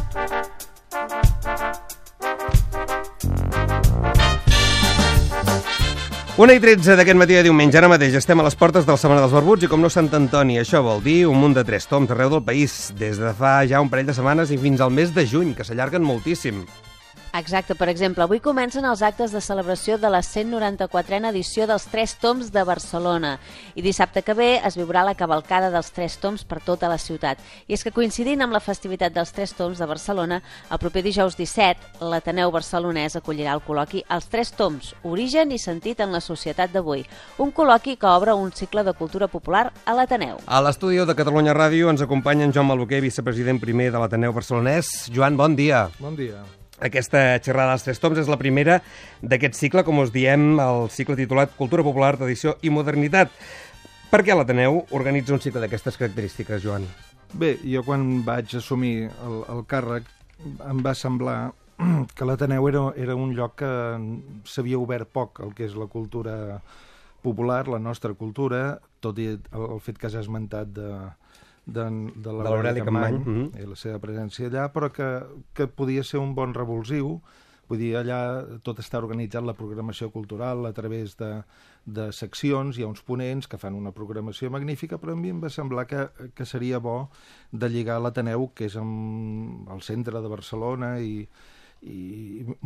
1:13 d'aquest matí de diumenge. Ara mateix estem a les portes de la Setmana dels Barbuts i com no Sant Antoni, això vol dir un munt de 3 toms arreu del país, des de fa ja un parell de setmanes i fins al mes de juny, que s'allarguen moltíssim. Exacte, per exemple, avui comencen els actes de celebració de la 194a edició dels 3 toms de Barcelona i dissabte que ve es viurà la cavalcada dels 3 toms per tota la ciutat. I és que coincidint amb la festivitat dels 3 toms de Barcelona, el proper dijous 17, l'Ateneu Barcelonès acollirà el col·loqui Els 3 toms, origen i sentit en la societat d'avui, un col·loqui que obre un cicle de cultura popular a l'Ateneu. A l'estudi de Catalunya Ràdio ens acompanya en Joan Malboquer, vicepresident primer de l'Ateneu Barcelonès. Joan, bon dia. Bon dia. Aquesta xerrada dels 3 toms és la primera d'aquest cicle, com us diem, el cicle titulat Cultura Popular, Tradició i Modernitat. Per què l'Ateneu organitza un cicle d'aquestes característiques, Joan? Bé, jo quan vaig assumir el càrrec em va semblar que l'Ateneu era un lloc que s'havia obert poc el que és la cultura popular, la nostra cultura, tot i el fet que s'ha esmentat de l'Aureli Capmany i la seva presència allà, però que podia ser un bon revulsiu. Vull dir, allà tot està organitzat, la programació cultural, a través de seccions, hi ha uns ponents que fan una programació magnífica, però a mi em va semblar que seria bo de lligar l'Ateneu, que és al centre de Barcelona i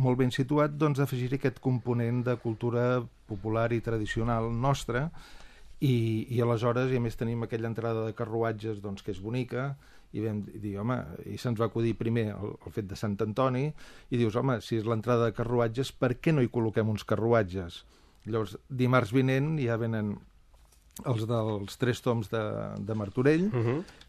molt ben situat, doncs d'afegir-hi aquest component de cultura popular i tradicional nostra. I aleshores, i a més tenim aquella entrada de carruatges doncs, que és bonica, i vam dir, home, i se'ns va acudir primer el fet de Sant Antoni, i dius, home, si és l'entrada de carruatges, per què no hi col·loquem uns carruatges? Llavors, dimarts vinent ja venen els dels 3 toms de Martorell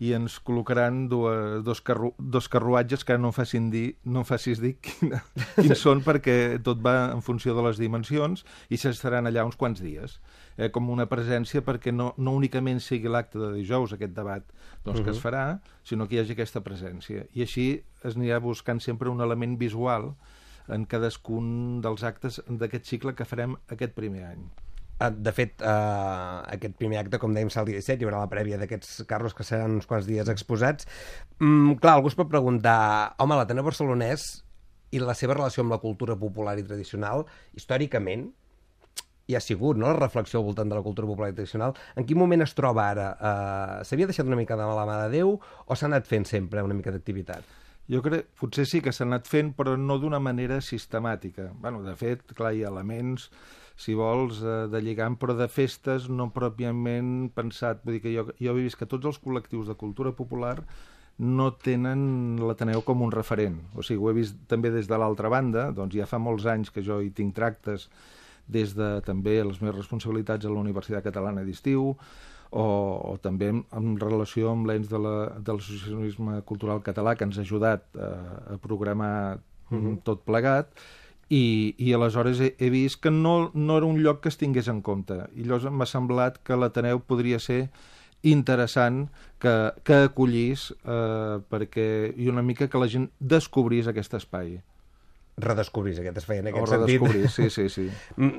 i ens col·locaran dos carruatges que no em facis dir quins són, perquè tot va en funció de les dimensions i s'estaran allà uns quants dies. Com una presència perquè no únicament sigui l'acte de dijous, aquest debat que es farà, sinó que hi hagi aquesta presència. I així es anirà buscant sempre un element visual en cadascun dels actes d'aquest cicle que farem aquest primer any. De fet, aquest primer acte, com dèiem, serà el dia 17, hi haurà la prèvia d'aquests carros que seran uns quants dies exposats. Clar, algú es pot preguntar, home, l'Ateneu Barcelonès i la seva relació amb la cultura popular i tradicional, històricament, hi ha sigut, no?, la reflexió al voltant de la cultura popular i tradicional. En quin moment es troba ara? S'havia deixat una mica de la mà de Déu o s'ha anat fent sempre una mica d'activitat? Jo crec, potser sí que s'ha anat fent, però no d'una manera sistemàtica. Bueno, de fet, clar, hi ha elements, si vols, de lligam, però de festes no pròpiament pensat. Vull dir que jo he vist que tots els col·lectius de cultura popular no tenen l'Ateneu com un referent. O sigui, ho he vist també des de l'altra banda, doncs ja fa molts anys que jo hi tinc tractes des de també les meves responsabilitats a la Universitat Catalana d'Estiu o també en relació amb l'ens de l'associacionisme cultural català que ens ha ajudat a programar tot plegat i aleshores he vist que no era un lloc que es tingués en compte i llavors m'ha semblat que l'Ateneu podria ser interessant que acollís i una mica que la gent descobrís aquest espai. Redescobrís aquest espai en aquest sentit. O redescobrir, sí.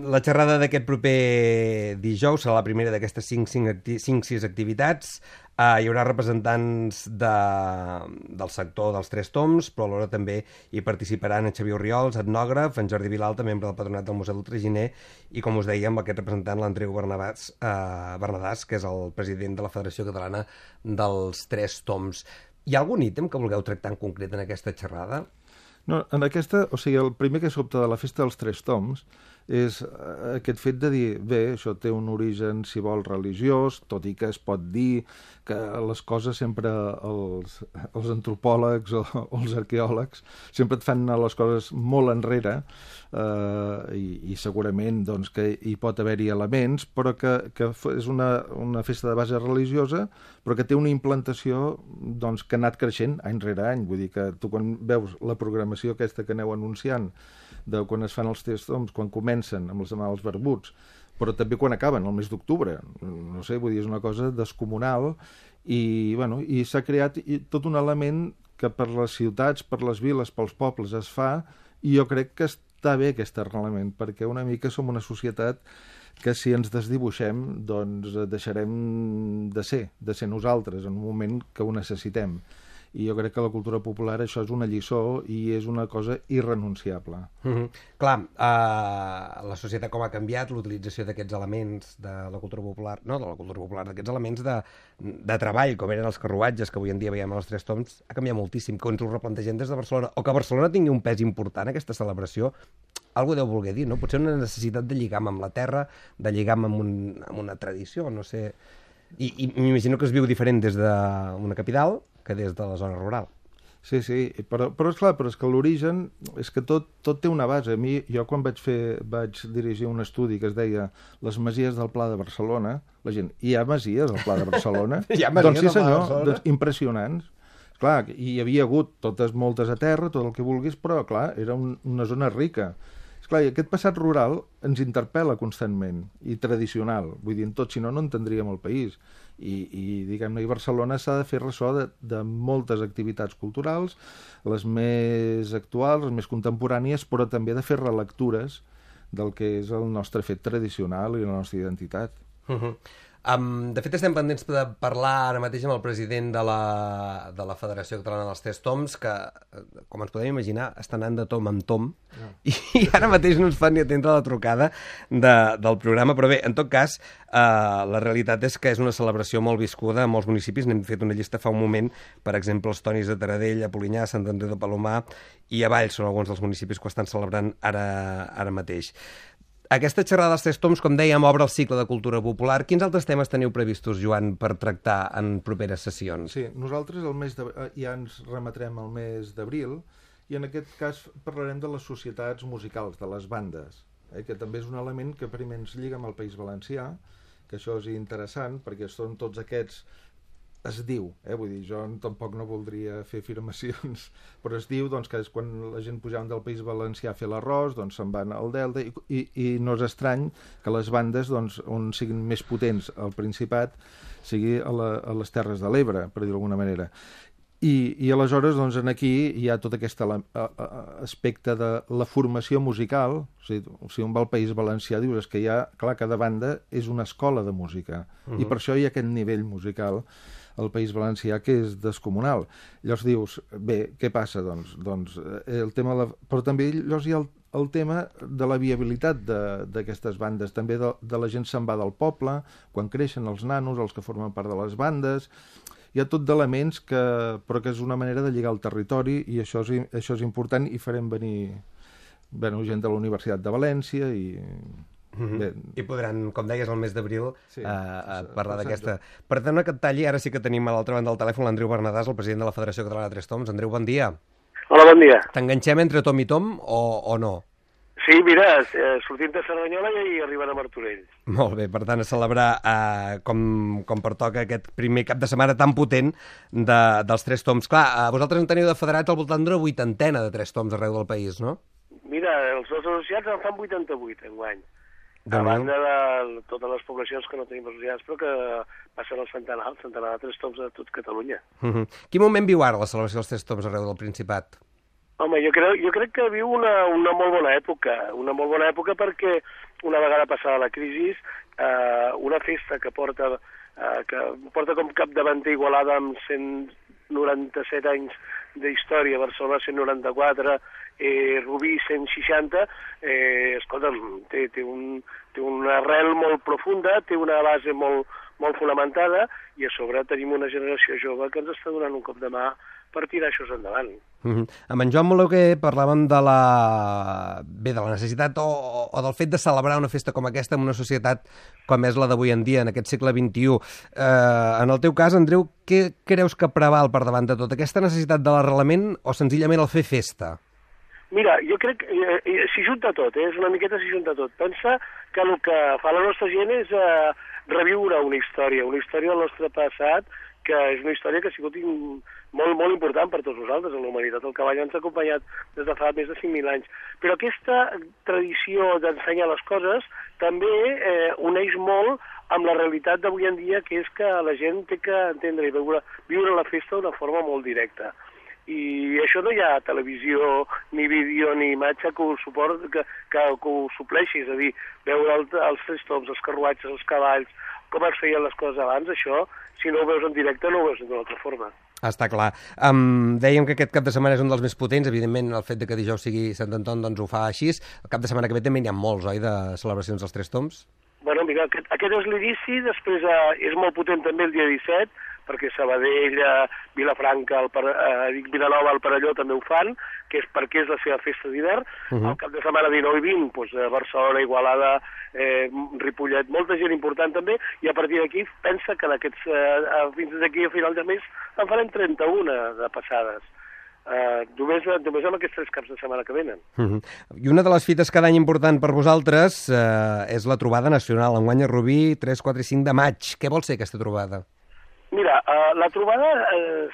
La xerrada d'aquest proper dijous serà la primera d'aquestes 5-6 activitats. Hi haurà representants del sector dels 3 toms, però alhora també hi participaran en Xavier Orriols, etnògraf, en Jordi Vilalta, membre del Patronat del Museu del Traginer, i com us dèiem, aquest representant, l'Andreu Bernadàs, que és el president de la Federació Catalana dels 3 toms. Hi ha algun ítem que vulgueu tractar en concret en aquesta xerrada? No, en aquesta, o sigui, el primer que sobta de la festa dels 3 toms és aquest fet de dir, bé, això té un origen, si vol, religiós, tot i que es pot dir que les coses sempre els antropòlegs o els arqueòlegs sempre et fan anar les coses molt enrere i segurament doncs, que hi pot haver-hi elements, però que és una festa de base religiosa, però que té una implantació doncs, que ha anat creixent any rere any. Vull dir que tu quan veus la programació aquesta que aneu anunciant de quan es fan els 3 toms, quan comencen amb els barbuts, però també quan acaben, el mes d'octubre. No sé, vull dir, és una cosa descomunal i s'ha creat tot un element que per les ciutats, per les viles, pels pobles es fa i jo crec que està bé aquest arrelament, perquè una mica som una societat que si ens desdibuixem doncs deixarem de ser nosaltres en un moment que ho necessitem. i jo crec que la cultura popular això és una lliçó i és una cosa irrenunciable. Clar, la societat com ha canviat, l'utilització d'aquests elements de la cultura popular, no de la cultura popular, d'aquests elements de treball, com eren els carruatges que avui en dia veiem a les Tres Tombs, ha canviat moltíssim, que ens ho replantegem des de Barcelona, o que Barcelona tingui un pes important aquesta celebració, algú deu voler dir, no? Potser una necessitat de lligam amb la terra, de lligam amb una tradició, no sé. I m'imagino que es viu diferent des d'una capital que des de la zona rural. Sí, però és que l'origen és que tot té una base. A mi, jo quan vaig dirigir un estudi que es deia Les Masies del Pla de Barcelona, la gent, hi ha masies al Pla de Barcelona? Hi ha masies doncs sí, al Pla de senyor, Barcelona? doncs, impressionants. Clar, hi havia hagut moltes a terra, tot el que vulguis, però, clar, era una zona rica. Esclar, i aquest passat rural ens interpel·la constantment, i tradicional. Vull dir, tot, si no, no entendríem el país. I diguem-ne, i Barcelona s'ha de fer ressò de moltes activitats culturals, les més actuals, les més contemporànies, però també de fer relectures del que és el nostre fet tradicional i la nostra identitat. De fet, estem pendents de parlar ara mateix amb el president de la Federació Catalana dels Tres Toms, que, com ens podem imaginar, està anant de tom en tom, i ara mateix no ens fan ni atendre la trucada del programa, però bé, en tot cas, la realitat és que és una celebració molt viscuda a molts municipis. N'hem fet una llista fa un moment, per exemple, els Tonis de Taradell, a Polinyà, Sant Andreu de Palomar i a Valls són alguns dels municipis que ho estan celebrant ara mateix. Aquesta xerrada dels Tres Toms, com dèiem, obre el cicle de cultura popular. Quins altres temes teniu previstos, Joan, per tractar en properes sessions? Sí, nosaltres ja ens remetrem al mes d'abril i en aquest cas parlarem de les societats musicals, de les bandes, que també és un element que primer ens lliga amb el País Valencià, que això és interessant perquè són tots aquests... Es diu, vull dir, jo tampoc no voldria fer afirmacions, però es diu doncs, que és quan la gent pujaven del País Valencià a fer l'arròs, doncs se'n van al Delta i no és estrany que les bandes doncs, on siguin més potents al Principat sigui a les Terres de l'Ebre, per dir d'alguna manera. I aleshores doncs, aquí hi ha tot aquest aspecte de la formació musical. O sigui, on va al País Valencià dius que hi ha, clar, cada banda és una escola de música i per això hi ha aquest nivell musical al País Valencià que és descomunal. Llavors dius, bé, què passa? Doncs el tema... Però també llavors hi ha el tema de la viabilitat d'aquestes bandes. També de la gent se'n va del poble, quan creixen els nanos, els que formen part de les bandes. Hi ha tot d'elements però que és una manera de lligar el territori i això és important i farem venir gent de la Universitat de València i... I podran, com deies, el mes d'abril parlar d'aquesta... Perdona que et talli, ara sí que tenim a l'altra banda del telèfon l'Andreu Bernadàs, el president de la Federació Catalana de Tres Toms. Andreu, bon dia. Hola, bon dia. T'enganxem entre tom i tom o no? Sí, mira, sortim de Cerdanyola i arribant a Martorell. Molt bé, per tant, a celebrar com pertoca aquest primer cap de setmana tan potent dels Tres Toms. Clar, vosaltres en teniu de federats al voltant d'una 80ena de Tres Toms arreu del país, no? Mira, els nostres associats en fan 88 enguany. A banda de totes les poblacions que no tenim associats, però que passen el centenar de Tres Toms a tot Catalunya. Quin moment viu ara la celebració dels Tres Toms arreu del Principat? Home, jo crec que viu una molt bona època perquè una vegada passada la crisi, una festa que porta com capdavanter Igualada amb 197 anys d'història, Barcelona 194, Rubí 160, escolta'm, té una arrel molt profunda, té una base molt fonamentada i a sobre tenim una generació jove que ens està donant un cop de mà per tirar això endavant. Amb en Joan Mologuer parlàvem de la necessitat o del fet de celebrar una festa com aquesta en una societat com és la d'avui en dia, en aquest segle XXI. En el teu cas, Andreu, què creus que preval per davant de tot? Aquesta necessitat de l'arrelament o senzillament el fer festa? Mira, jo crec que s'hi junta tot, és una miqueta s'hi junta tot. Pensa que el que fa la nostra gent és reviure una història del nostre passat, que és una història que ha sigut molt important per tots nosaltres, a la humanitat. El cavall ens ha acompanyat des de fa més de 5.000 anys. Però aquesta tradició d'ensenyar les coses també uneix molt amb la realitat d'avui en dia, que és que la gent té que entendre i viure la festa d'una forma molt directa. I això no hi ha televisió, ni vídeo, ni imatge que ho supleixi, és a dir, veure els Tres Toms, els carruatges, els cavalls, com es feien les coses abans, això, si no ho veus en directe, no ho veus d'una altra forma. Està clar. Dèiem que aquest cap de setmana és un dels més potents, evidentment el fet de que dijous sigui Sant Anton doncs ho fa així. El cap de setmana que ve també n'hi ha molts, oi, de celebracions dels Tres Tombs? Bueno, mira, aquest és l'inici, després és molt potent també el dia 17, perquè Sabadell, Vilafranca, Vilanova, el Perelló també ho fan, perquè és la seva festa d'hivern. El cap de setmana 19 i 20, doncs, Barcelona, Igualada, Ripollet, molta gent important també, i a partir d'aquí pensa que fins d'aquí a final de mes en farem 31 de passades. Només amb aquests 3 caps de setmana que venen. I una de les fites cada any important per vosaltres és la trobada nacional, enguany a Rubí, 3, 4 i 5 de maig. Què vol ser aquesta trobada? Mira, la trobada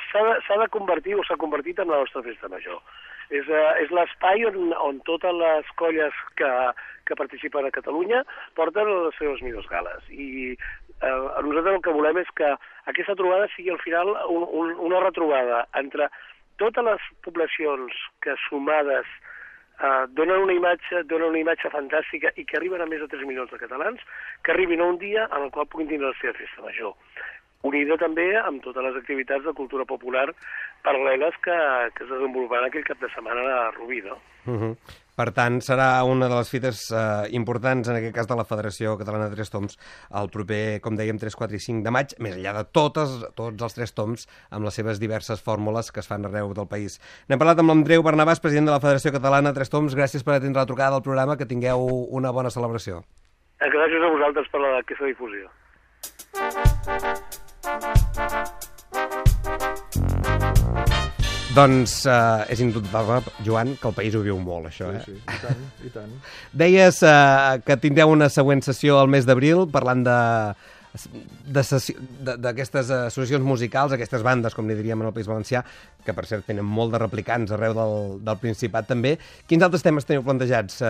s'ha de convertir o s'ha convertit en la nostra festa major. És l'espai on totes les colles que participen a Catalunya porten les seves millors gales. I nosaltres el que volem és que aquesta trobada sigui al final una retrobada entre totes les poblacions que sumades donen una imatge fantàstica i que arriben a més de 3 milions de catalans, que arribin a un dia en el qual puguin tindre la seva festa major. Unida també amb totes les activitats de cultura popular paral·leles que es desenvoluparan aquell cap de setmana a Rubí, no? Per tant, serà una de les fites importants, en aquest cas de la Federació Catalana de Tres Tombs, el proper, com dèiem, 3, 4 i 5 de maig, més enllà de tots els Tres Tombs, amb les seves diverses fórmules que es fan arreu del país. N'hem parlat amb l'Andreu Bernabàs, president de la Federació Catalana de Tres Tombs. Gràcies per atendre la trucada del programa, que tingueu una bona celebració. Gràcies a vosaltres per aquesta difusió. Doncs és indubtable, Joan, que el país ho viu molt, això, eh? Sí, i tant. Deies que tindreu una següent sessió al mes d'abril, parlant d'aquestes associacions musicals, aquestes bandes, com li diríem en el País Valencià, que per cert tenen molt de replicants arreu del Principat també. Quins altres temes teniu plantejats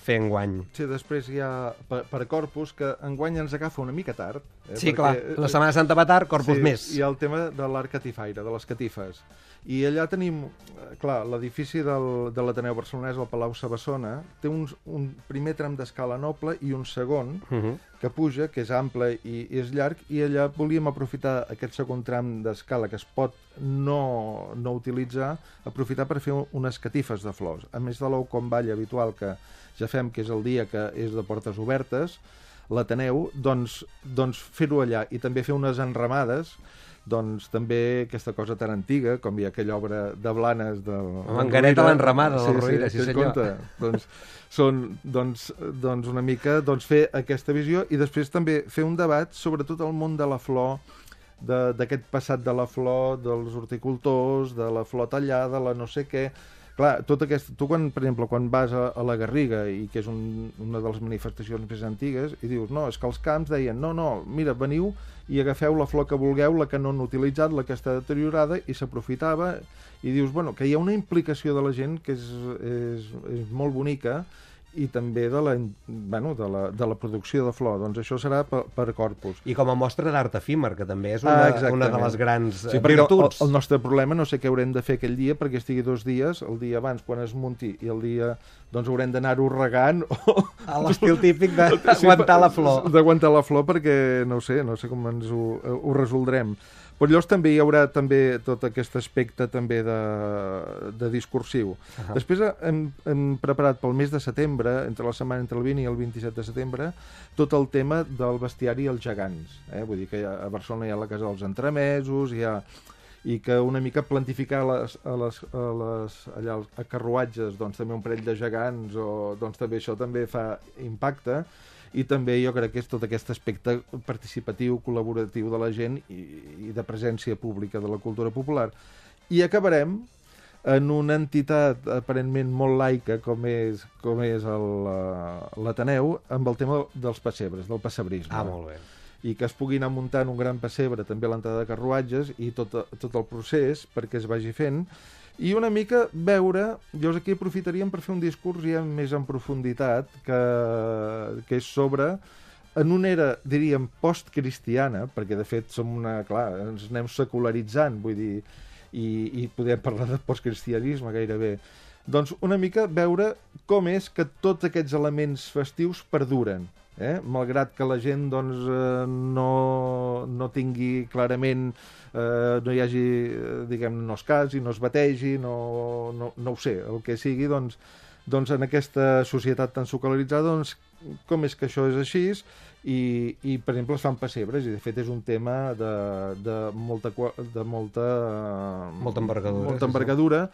fer enguany? Sí, després hi ha per Corpus, que enguany ens agafa una mica tard. Sí, clar, la Setmana Santa va tard, Corpus més. Hi ha el tema de l'art catifaire, de les catifes. I allà tenim, clar, l'edifici de l'Ateneu Barcelonès, el Palau Sabassona, té un primer tram d'escala noble i un segon que puja, que és ample i és llarg, i allà volíem aprofitar aquest segon tram d'escala que es pot no utilitzar, aprofitar per fer unes catifes de flors. A més de l'Oucom-Ball habitual que ja fem, que és el dia que és de portes obertes, l'Ateneu, doncs fer-ho allà i també fer unes enramades, doncs també aquesta cosa tan antiga, com hi ha aquella obra de Blanes en Gareta l'enramada del Rovira, sí senyor. Doncs són una mica fer aquesta visió i després també fer un debat sobre tot el món de la flor, d'aquest passat de la flor, dels horticultors, de la flor tallada, la no sé què. Clar, tot aquest... Tu, per exemple, quan vas a la Garriga, i que és una de les manifestacions més antigues, i dius, no, és que els camps deien, no, mira, veniu i agafeu la flor que vulgueu, la que no han utilitzat, la que està deteriorada, i s'aprofitava, i dius, bueno, que hi ha una implicació de la gent que és molt bonica, i també de la producció de flor. Doncs això serà per Corpus. I com a mostra d'art efímer, que també és una de les grans virtuts. El nostre problema, no sé què haurem de fer aquell dia, perquè estigui 2 dies, el dia abans, quan es munti, i el dia, doncs haurem d'anar-ho regant. A l'estil típic d'aguantar la flor. D'aguantar la flor, perquè no sé com ens ho resoldrem. Però llavors també hi haurà tot aquest aspecte també de discursiu. Després hem preparat pel mes de setembre, entre la setmana entre el 20 i el 27 de setembre, tot el tema del bestiari als gegants. Vull dir que a Barcelona hi ha la Casa dels Entremesos, i que una mica plantificar allà a carruatges també un parell de gegants, doncs també això també fa impacte. I també jo crec que és tot aquest aspecte participatiu, col·laboratiu de la gent i de presència pública de la cultura popular. I acabarem en una entitat aparentment molt laica com és l'Ateneu, amb el tema dels pessebres, del pessebrisme. Molt bé. I que es pugui anar muntant un gran pessebre també a l'entrada de carruatges i tot el procés perquè es vagi fent. I una mica veure, llavors aquí aprofitaríem per fer un discurs ja més en profunditat, que és sobre, en una era, diríem, postcristiana, perquè de fet ens anem secularitzant, vull dir, i podem parlar de postcristianisme gairebé, doncs una mica veure com és que tots aquests elements festius perduren. malgrat que la gent doncs, no tingui clarament, no hi hagi, diguem, no es casi, no es bategi, no ho sé, el que sigui, doncs en aquesta societat tan secularitzada, doncs, com és que això és així? I per exemple, es fan pessebres, i de fet és un tema de molta envergadura,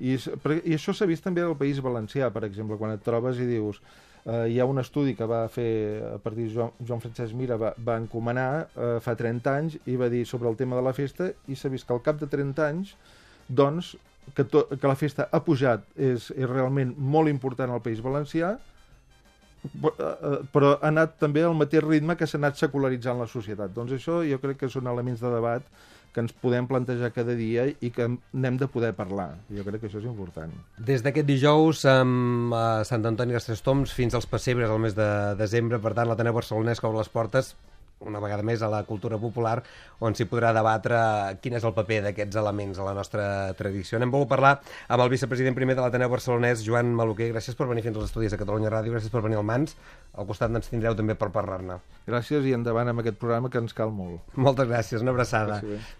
i això s'ha vist també al País Valencià, per exemple, quan et trobes i dius... hi ha un estudi que va fer a partir de Joan Francesc Mira, va encomanar fa 30 anys i va dir sobre el tema de la festa, i s'ha vist que al cap de 30 anys doncs, que la festa ha pujat, és realment molt important al País Valencià, però ha anat també al mateix ritme que s'ha anat secularitzant la societat. Doncs això jo crec que són elements de debat que ens podem plantejar cada dia i que n'hem de poder parlar. Jo crec que això és important. Des d'aquest dijous a Sant Antoni dels Tres Tombs fins als pessebres al mes de desembre, per tant, l'Ateneu Barcelonès obre les portes una vegada més a la cultura popular, on s'hi podrà debatre quin és el paper d'aquests elements a la nostra tradició. N'hem volgut parlar amb el vicepresident primer de l'Ateneu Barcelonès, Joan Maluquer. Gràcies per venir fins als estudis de Catalunya Ràdio, gràcies per venir al Mans. Al costat ens tindreu també per parlar-ne. Gràcies i endavant amb aquest programa que ens cal molt. Moltes gràcies, una abraçada.